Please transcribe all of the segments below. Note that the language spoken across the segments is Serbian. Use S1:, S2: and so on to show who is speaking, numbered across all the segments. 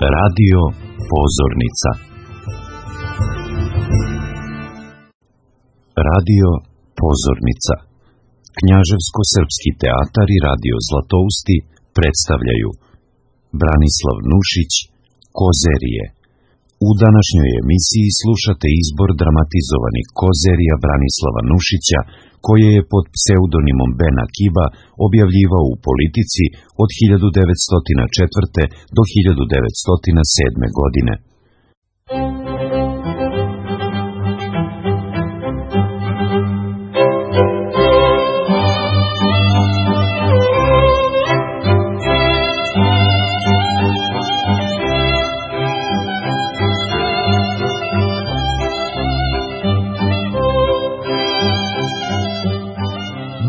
S1: Radio Pozornica. Radio Pozornica. Knjaževsko-srpski teatar i radio Zlatousti predstavljaju Branislav Nušić, Kozerije. U današnjoj emisiji slušate izbor dramatizovanih Kozerija Branislava Nušića, koje je pod pseudonimom Bena Kiba objavljivao u Politici od 1904. do 1907. godine.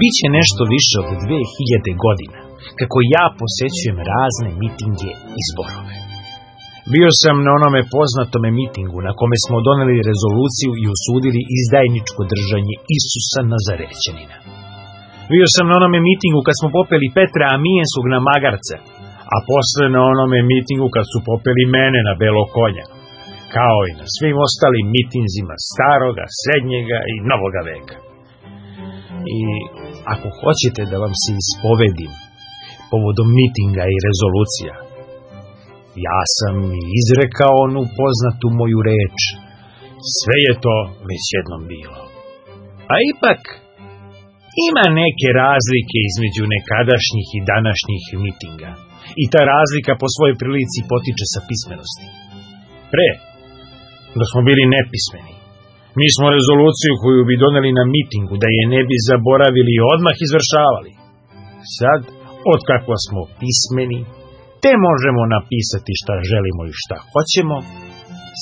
S2: Biće nešto više od 2000 godina, kako ja posećujem razne mitinge i zborove. Bio sam na onome poznatome mitingu na kome smo doneli rezoluciju i osudili izdajničko držanje Isusa Nazarećanina. Bio sam na onome mitingu kad smo popeli Petra Amijenskog na magarca, a posle na onome mitingu kad su popeli mene na belo konja, kao i na svim ostalim mitinzima staroga, srednjega i novoga veka. I ako hoćete da vam se ispovedim povodom mitinga i rezolucija, ja sam izrekao onu poznatu moju reč, sve je to već jednom bilo. A ipak, ima neke razlike između nekadašnjih i današnjih mitinga, i ta razlika po svojoj prilici potiče sa pismenosti. Pre, da smo bili nepismeni, mi smo rezoluciju koju bi doneli na mitingu da je ne bi zaboravili i odmah izvršavali. Sad, otkako smo pismeni, te možemo napisati šta želimo i šta hoćemo,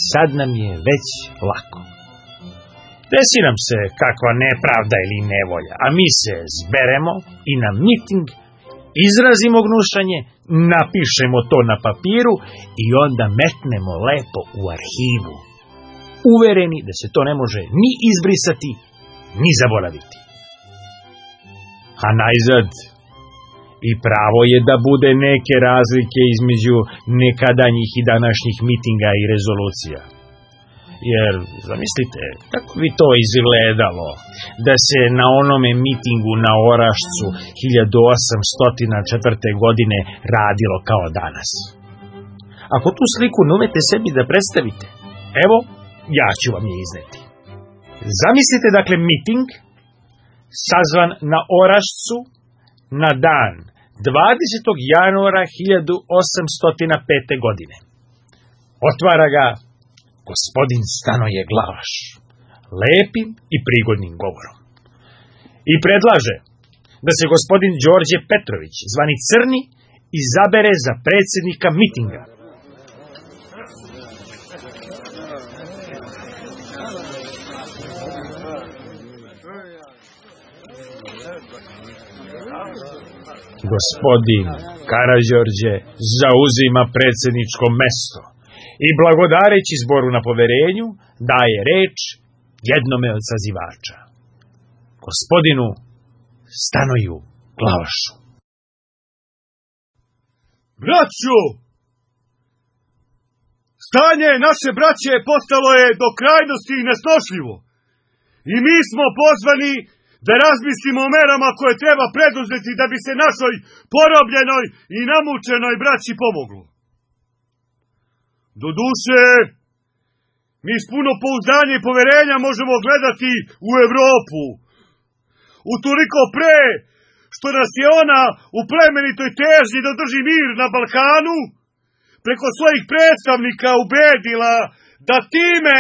S2: sad nam je već lako. Desi nam se kakva nepravda ili nevolja, a mi se zberemo i na miting izrazimo gnušanje, napišemo to na papiru i onda metnemo lepo u arhivu, uvereni da se to ne može ni izbrisati, ni zaboraviti. A najzad, i pravo je da bude neke razlike između nekadanjih i današnjih mitinga i rezolucija. Jer, zamislite, kako bi to izgledalo da se na onome mitingu na Orašcu 1804. godine radilo kao danas. Ako tu sliku ne umete sebi da predstavite, evo, ja ću vam je izneti. Zamislite dakle miting sazvan na Orašcu na dan 20. januara 1805. godine. Otvara ga gospodin Stanoje Glavaš, lepim i prigodnim govorom. I predlaže da se gospodin Đorđe Petrović, zvani Crni, izabere za predsjednika mitinga. Gospodin Karađorđe zauzima predsjedničko mesto i blagodareći zboru na poverenju daje reč jednome od sazivača, gospodinu Stanoju Glavašu.
S3: Braćo! Stanje naše braće postalo je do krajnosti nesnošljivo i mi smo pozvani da razmislimo o merama koje treba preduzeti da bi se našoj porobljenoj i namučenoj braći pomoglo. Doduše, mi s puno pouzdanja i poverenja možemo gledati u Evropu. Utoliko pre što nas je ona u plemenitoj težnji da drži mir na Balkanu preko svojih predstavnika ubedila da time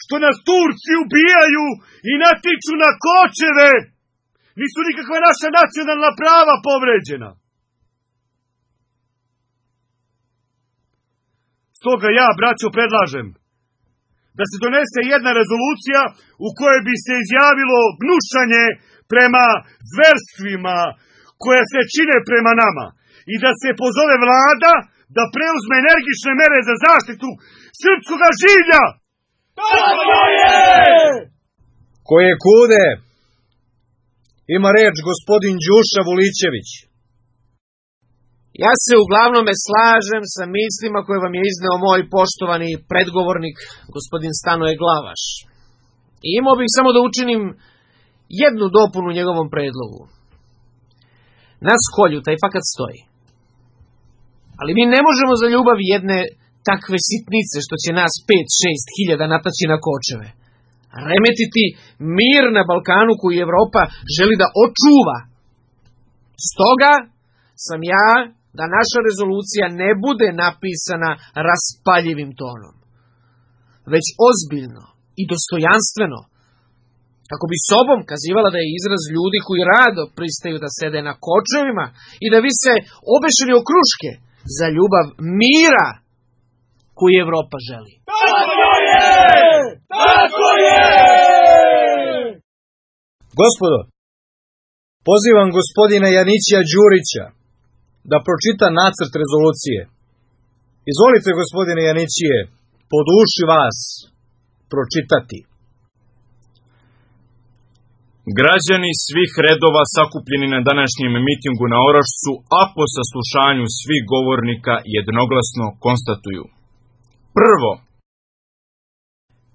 S3: što nas Turci ubijaju i natiču na kočeve, nisu nikakva naša nacionalna prava povređena. Stoga ja, braćo, predlažem da se donese jedna rezolucija u kojoj bi se izjavilo gnušanje prema zverstvima koje se čine prema nama i da se pozove vlada da preuzme energične mere za zaštitu srpskoga življa. Tako je!
S4: Koje kude? Ima reč gospodin Đuša Vulićević.
S5: Ja se uglavnom slažem sa mislima koje vam je izneo moj poštovani predgovornik, gospodin Stanoje Glavaš. I imao bih samo da učinim jednu dopunu njegovom predlogu. Na skolju taj fakat stoji. Ali mi ne možemo za ljubav jedne takve sitnice što će nas 5-6 hiljada nataći na kočeve. Remetiti mir na Balkanu koji Evropa želi da očuva. Stoga sam ja da naša rezolucija ne bude napisana raspaljivim tonom, već ozbiljno i dostojanstveno, kako bi sobom kazivala da je izraz ljudi koji rado pristaju da sede na kočevima i da vise obešeni o kruške za ljubav mira koju Evropa želi.
S3: Tako je! Tako je!
S4: Gospodo, pozivam gospodina Janićija Đurića da pročita nacrt rezolucije. Izvolite, gospodine Janićije, po duši vas pročitati.
S6: Građani svih redova sakupljeni na današnjem mitingu na Orašcu, a po saslušanju svih govornika jednoglasno konstatuju. Prvo,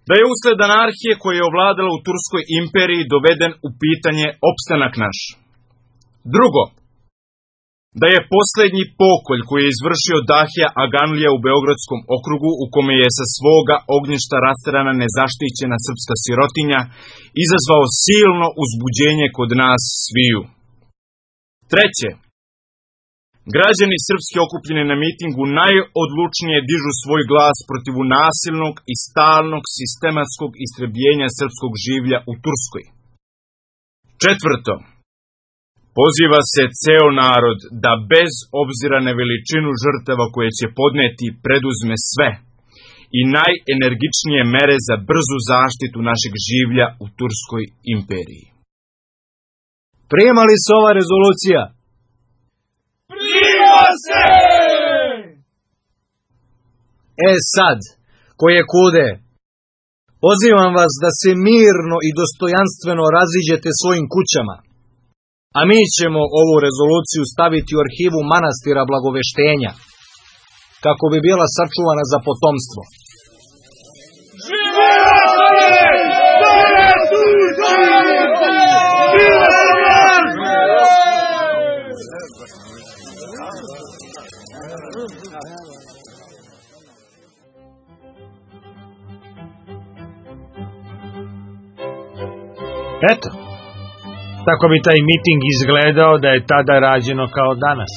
S6: da je usled anarhije koja je ovladala u Turskoj imperiji doveden u pitanje opstanak naš. Drugo, da je posljednji pokolj koji je izvršio Dahija Aganlija u Beogradskom okrugu, u kome je sa svoga ognjišta rasterana nezaštićena srpska sirotinja, izazvao silno uzbuđenje kod nas sviju. Treće, građani srpski okupljeni na mitingu najodlučnije dižu svoj glas protiv nasilnog i stalnog sistematskog istrebljenja srpskog življa u Turskoj. Četvrto, poziva se ceo narod da bez obzira na veličinu žrtava koje će podneti preduzme sve i najenergičnije mere za brzu zaštitu našeg življa u Turskoj imperiji.
S4: Prijema li se ova rezolucija?
S3: Prijema se!
S4: Sad, koje kude, pozivam vas da se mirno i dostojanstveno raziđete svojim kućama, a mi ćemo ovu rezoluciju staviti u arhivu manastira Blagoveštenja, kako bi bila sačuvana za potomstvo.
S2: Eto, tako bi taj miting izgledao da je tada rađeno kao danas.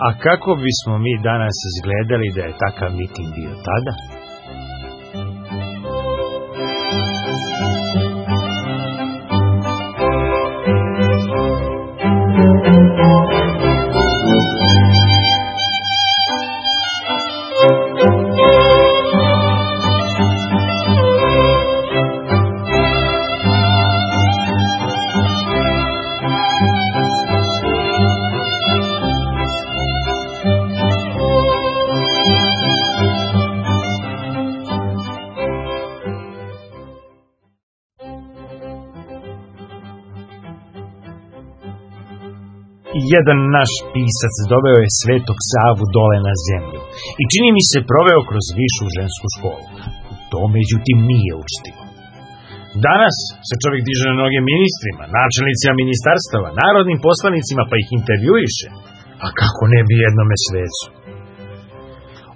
S2: A kako bismo mi danas izgledali da je takav miting bio tada? Jedan naš pisac doveo je Svetog Savu dole na zemlju i čini mi se proveo kroz višu žensku školu. To međutim nije učtivo. Danas se čovjek diže na noge ministrima, načelnicima ministarstava, narodnim poslanicima pa ih intervjuiše. A kako ne bi jednome svecu?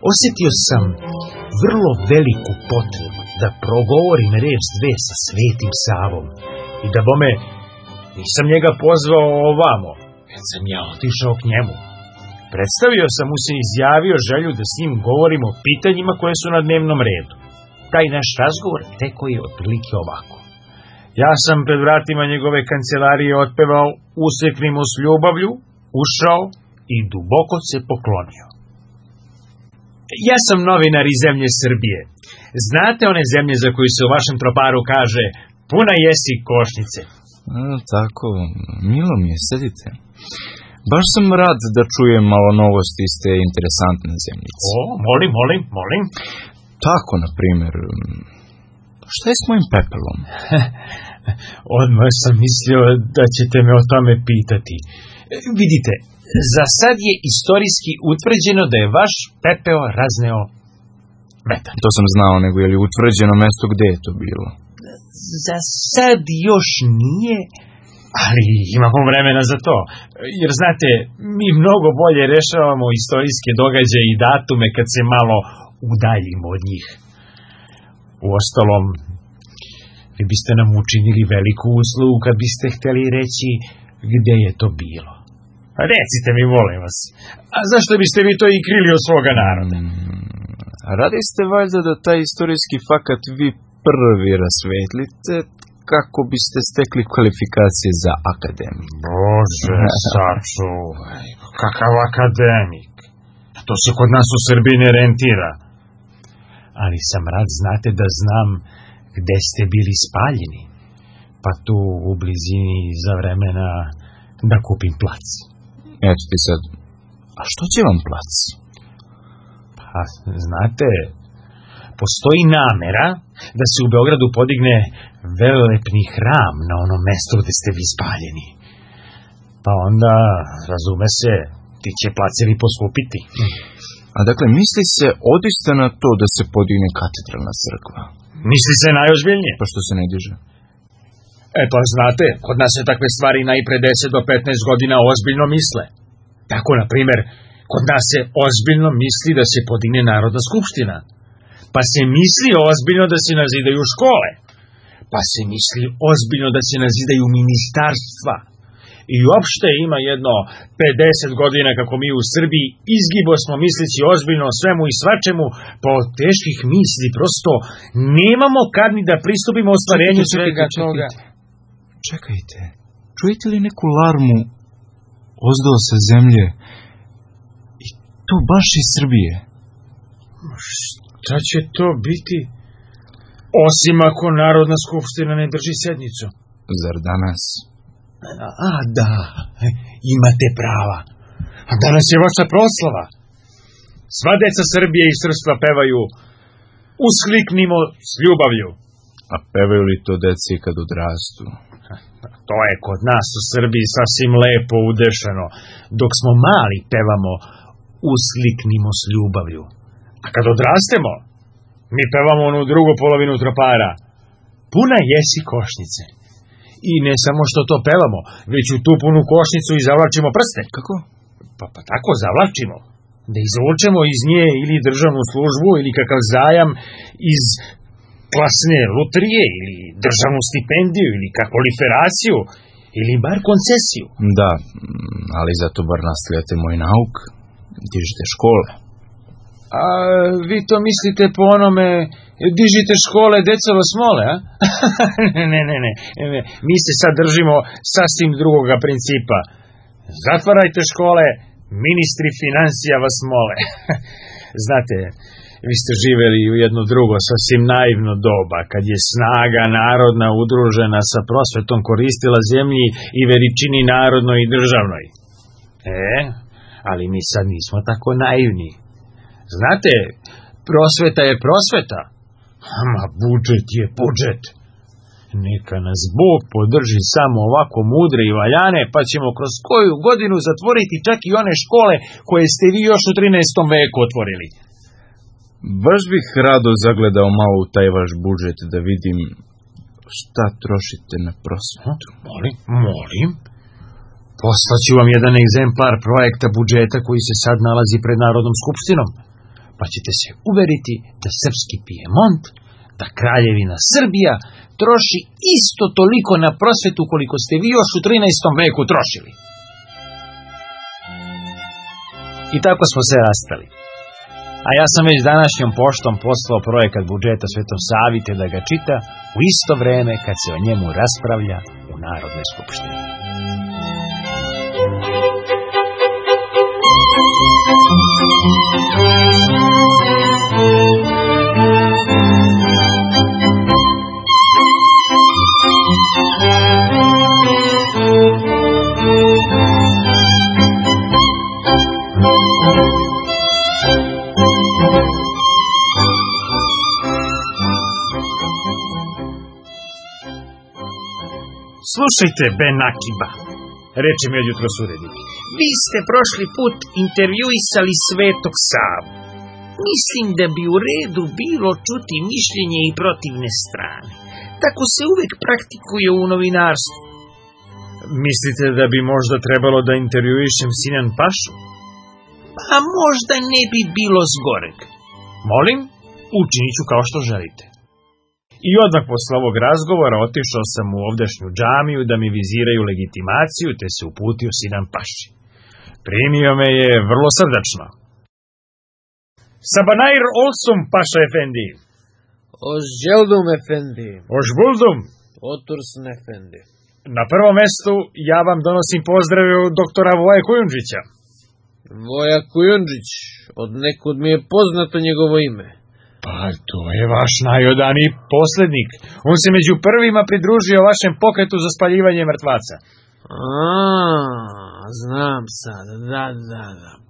S2: Osjetio sam vrlo veliku potrebu da progovorim reč dve sa Svetim Savom i da bome nisam njega pozvao ovamo, već sam ja otišao k njemu. Predstavio sam mu se i izjavio želju da s njim govorim o pitanjima koje su na dnevnom redu. Taj naš razgovor teko je otprilike ovako. Ja sam pred vratima njegove kancelarije otpevao "Useknimo s ljubavlju", ušao i duboko se poklonio. Ja sam novinar iz zemlje Srbije. Znate one zemlje za koju se u vašem troparu kaže "Puna jesi košnice"?
S6: Tako, milo mi je, sedite. Baš sam rad da čujem malo novosti iz te interesantne zemljice.
S2: Molim.
S6: Tako, na primjer, šta je s mojim pepelom?
S2: Odmah sam mislio da ćete me o tome pitati. Vidite, za sad je istorijski utvrđeno da je vaš pepeo razneo vetar.
S6: To sam znao, nego je li utvrđeno mesto gde je to bilo?
S2: Za sad još nije, ali imamo vremena za to. Jer znate, mi mnogo bolje rešavamo istorijske događaje i datume kad se malo udaljimo od njih. Uostalom, vi biste nam učinili veliku uslugu kad biste hteli reći gde je to bilo. Recite mi, molim vas, a zašto biste vi to i krili od svoga naroda?
S6: Radi ste valjda da taj istorijski fakat vi prvi rasvetlite kako biste stekli kvalifikacije za akademik.
S2: Bože, sačuvaj, kakav akademik. To se kod nas u Srbiji ne rentira. Ali sam rad, znate, da znam gde ste bili spaljeni. Pa tu u blizini za vremena da kupim plac.
S6: Eto ti sad, a što će vam plac?
S2: Pa, znate, postoji namera da se u Beogradu podigne velelepni hram na onom mestu gde ste vi spaljeni. Pa onda, razume se, ti će placevi poskupiti.
S6: A dakle, misli se odista na to da se podigne katedralna crkva?
S2: Misli se najozbiljnije.
S6: Pa što se ne diže?
S2: Pa znate, kod nas se takve stvari najpre 10 do 15 godina ozbiljno misle. Tako, na primjer, kod nas se ozbiljno misli da se podigne Narodna skupština. Pa se misli ozbiljno da se nazidaju škole. Pa se misli ozbiljno da se nazidaju ministarstva. I uopšte ima jedno 50 godina kako mi u Srbiji izgibo smo misleći ozbiljno o svemu i svačemu, pa od teških misli prosto nemamo kad ni da pristupimo ostvarenju svega toga.
S6: Čekajte, čujete li neku larmu ozdo sa zemlje? I to baš iz Srbije.
S2: Šta će to biti? Osim ako Narodna skupština ne drži sednicu.
S6: Zar danas?
S2: A da, imate prava. A danas je vaša proslava. Sva deca Srbije i srpstva pevaju Uskliknimo s ljubavlju.
S6: A pevaju li to deci kad odrastu?
S2: To je kod nas u Srbiji sasvim lepo udešeno. Dok smo mali pevamo Uskliknimo s ljubavlju. A kad odrastemo, mi pevamo onu drugu polovinu tropara. Puna jesi košnice. I ne samo što to pevamo, već u tu punu košnicu i zavlačimo prste.
S6: Kako?
S2: Pa tako zavlačimo. Da izvučemo iz nje ili državnu službu ili kakav zajam iz klasne lutrije ili državnu stipendiju ili kakvoliferaciju ili bar koncesiju.
S6: Da, ali zato bar nastavljate moj nauk, dižite škole.
S2: A vi to mislite po onome, dižite škole, deca vas mole, a? Ne. Mi se sad držimo sasvim drugoga principa. Zatvarajte škole, ministri financija vas mole. Znate, vi ste živeli u jedno drugo, sasvim naivno doba, kad je snaga narodna udružena sa prosvetom koristila zemlji i veličini narodnoj i državnoj. Ali mi sad nismo tako naivni. Znate, prosveta je prosveta, ama budžet je budžet. Neka nas Bog podrži samo ovako mudre i valjane, pa ćemo kroz koju godinu zatvoriti čak i one škole koje ste vi još u 13. veku otvorili.
S6: Baš bih rado zagledao malo u taj vaš budžet da vidim šta trošite na prosvetu.
S2: Molim. Poslaću vam jedan egzemplar projekta budžeta koji se sad nalazi pred Narodnom skupštinom, pa ćete se uveriti da srpski Pijemont, da kraljevina Srbija troši isto toliko na prosvetu koliko ste vi još u 13. veku trošili. I tako smo se rastali. A ja sam već današnjom poštom poslao projekat budžeta Svetom Savi te da ga čita u isto vreme kad se o njemu raspravlja u Narodnoj skupštini. Slušajte, Ben Akiba, reče mi od jutros urednik. Vi ste prošli put intervjuisali Svetog Savu. Mislim da bi u redu bilo čuti mišljenje i protivne strane. Tako se uvek praktikuje u novinarstvu. Mislite da bi možda trebalo da intervjuišem Sinan Pašu? Pa možda ne bi bilo zgoreg. Molim, učinit ću kao što želite. I odmah posle ovog razgovora otišao sam u ovdašnju džamiju da mi viziraju legitimaciju, te se uputio Sinan Paši. Primio me je vrlo srdačno. Sabanair olsun, Paša efendi.
S5: Hoş geldin efendi.
S2: Hoş buldum.
S5: Otursun efendi.
S2: Na prvom mestu ja vam donosim pozdrave od doktora Voje Kujundžića.
S5: Voja Kujundžić, od nekud mi je poznato njegovo ime.
S2: Pa to je vaš najodaniji poslednik. On se među prvima pridružio vašem pokretu za spaljivanje mrtvaca.
S5: Znam sad, da.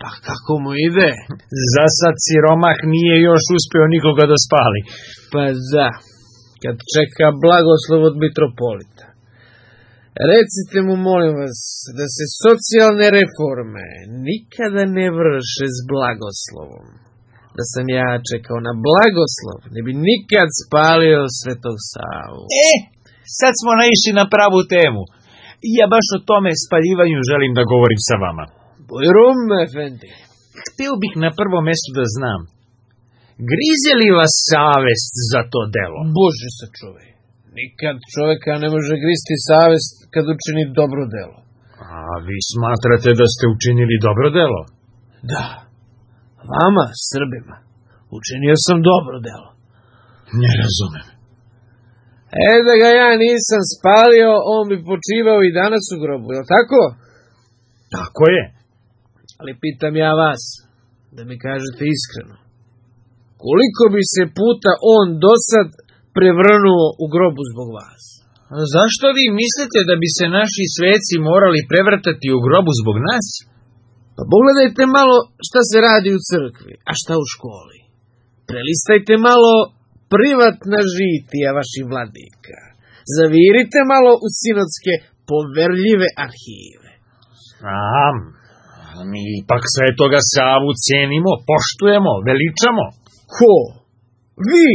S5: Pa kako mu ide?
S2: Za sad siromah nije još uspeo nikoga da spali.
S5: Pa da, kad čeka blagoslov od mitropolita. Recite mu, molim vas, da se socijalne reforme nikada ne vrše s blagoslovom. Da sam ja čekao na blagoslov, ne bi nikad spalio Svetog Savu.
S2: Sad smo naišli na pravu temu. Ja baš o tome spaljivanju želim da govorim sa vama.
S5: Bujrum, efendi.
S2: Hteo bih na prvom mestu da znam. Grize li vas savest za to delo?
S5: Bože sačuvaj. Nikad čoveka ne može gristi savest kad učini dobro delo.
S2: A vi smatrate da ste učinili dobro delo?
S5: Da. Vama, Srbima, učinio sam dobro delo.
S2: Ne razumem.
S5: Da ga ja nisam spalio, on bi počivao i danas u grobu, je li tako?
S2: Tako je.
S5: Ali pitam ja vas, da mi kažete iskreno, koliko bi se puta on dosad prevrnuo u grobu zbog vas?
S2: A zašto vi mislite da bi se naši sveci morali prevrtati u grobu zbog nas?
S5: Pa pogledajte malo šta se radi u crkvi, a šta u školi. Prelistajte malo privatna žitija vaših vladika. Zavirite malo u sinodske poverljive arhive.
S2: Znam, mi ipak Svetoga Savu cenimo, poštujemo, veličamo.
S5: Ko? Vi?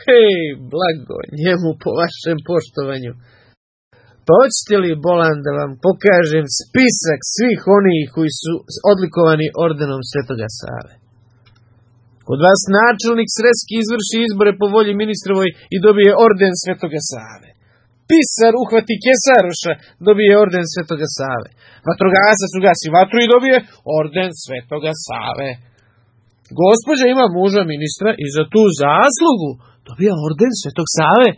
S5: Hej, blago njemu po vašem poštovanju. Pa hoćete li, bolan, da vam pokažem spisak svih onih koji su odlikovani ordenom Svetoga Save? Kod vas načelnik Sreski izvrši izbore po volji ministrovoj i dobije orden Svetoga Save. Pisar uhvati kesaroša, dobije orden Svetoga Save. Vatrogasac ugasi vatru i dobije orden Svetoga Save. Gospođa ima muža ministra i za tu zaslugu dobija orden Svetog Save.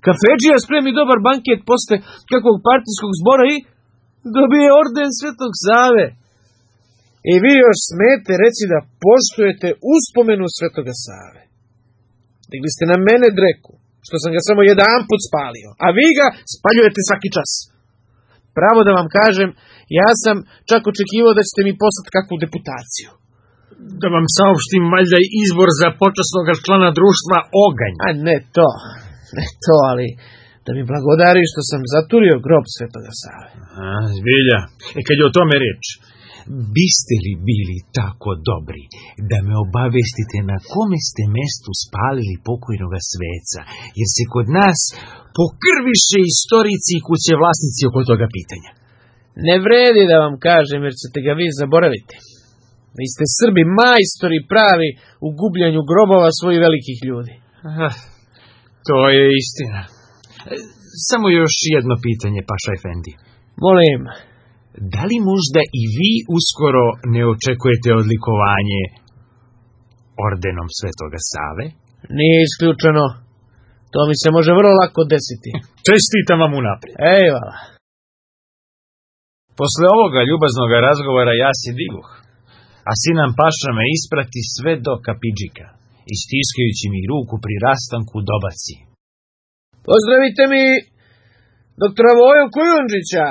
S5: Kafedžija spremi dobar banket posle kakvog partijskog zbora i dobije orden Svetog Save. I vi još smete reći da poštujete uspomenu Svetoga Save. Digli ste na mene dreku, što sam ga samo jedan put spalio, a vi ga spaljujete svaki čas. Pravo da vam kažem, ja sam čak očekivao da ćete mi poslati kakvu deputaciju.
S2: Da vam saopštim valjda izbor za počasnog člana društva Oganj.
S5: A ne to, ali da mi blagodari što sam zaturio grob Svetoga Save.
S2: Zbilja, kad je o tome reč, biste li bili tako dobri da me obavestite na kome ste mestu spalili pokojnoga sveca, jer se kod nas pokrviše istorici i kuće vlasnici oko toga pitanja.
S5: Ne vredi da vam kažem, jer ćete ga vi zaboraviti. Vi ste Srbi majstori pravi u gubljanju grobova svojih velikih ljudi.
S2: To je istina. Samo još jedno pitanje, Paša efendi.
S5: Molim.
S2: Da li možda i vi uskoro ne očekujete odlikovanje ordenom Svetoga Save?
S5: Nije isključeno. To mi se može vrlo lako desiti.
S2: Čestitam vam unaprijed.
S5: Ejvala.
S2: Posle ovoga ljubaznog razgovora ja se digoh, a Sinan Paša me isprati sve do kapidžika i stiskajući mi ruku pri rastanku dobaci.
S5: Pozdravite mi doktora Voju Kujundžića.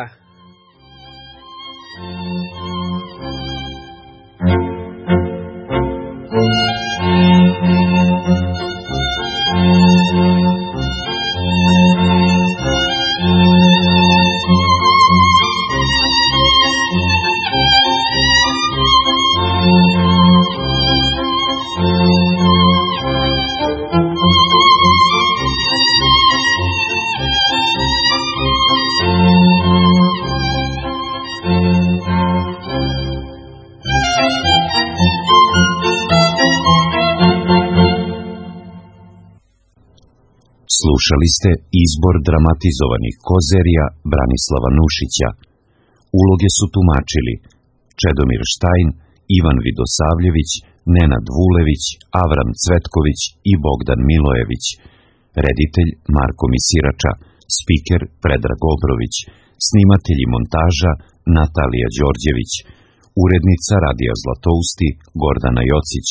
S1: Slušali ste izbor dramatizovanih kozerija Branislava Nušića. Uloge su tumačili Čedomir Štajn, Ivan Vidosavljević, Nenad Vulević, Avram Cvetković i Bogdan Milojević. Reditelj Marko Misirača, spiker Predrag Obrović, snimatelj i montaža Natalija Đorđević, urednica Radija Zlatousti Gordana Jocić.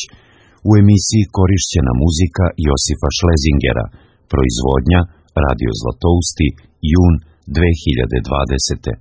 S1: U emisiji korišćena muzika Josifa Šlezingera, proizvodnja Radio Zlatousti, jun 2020.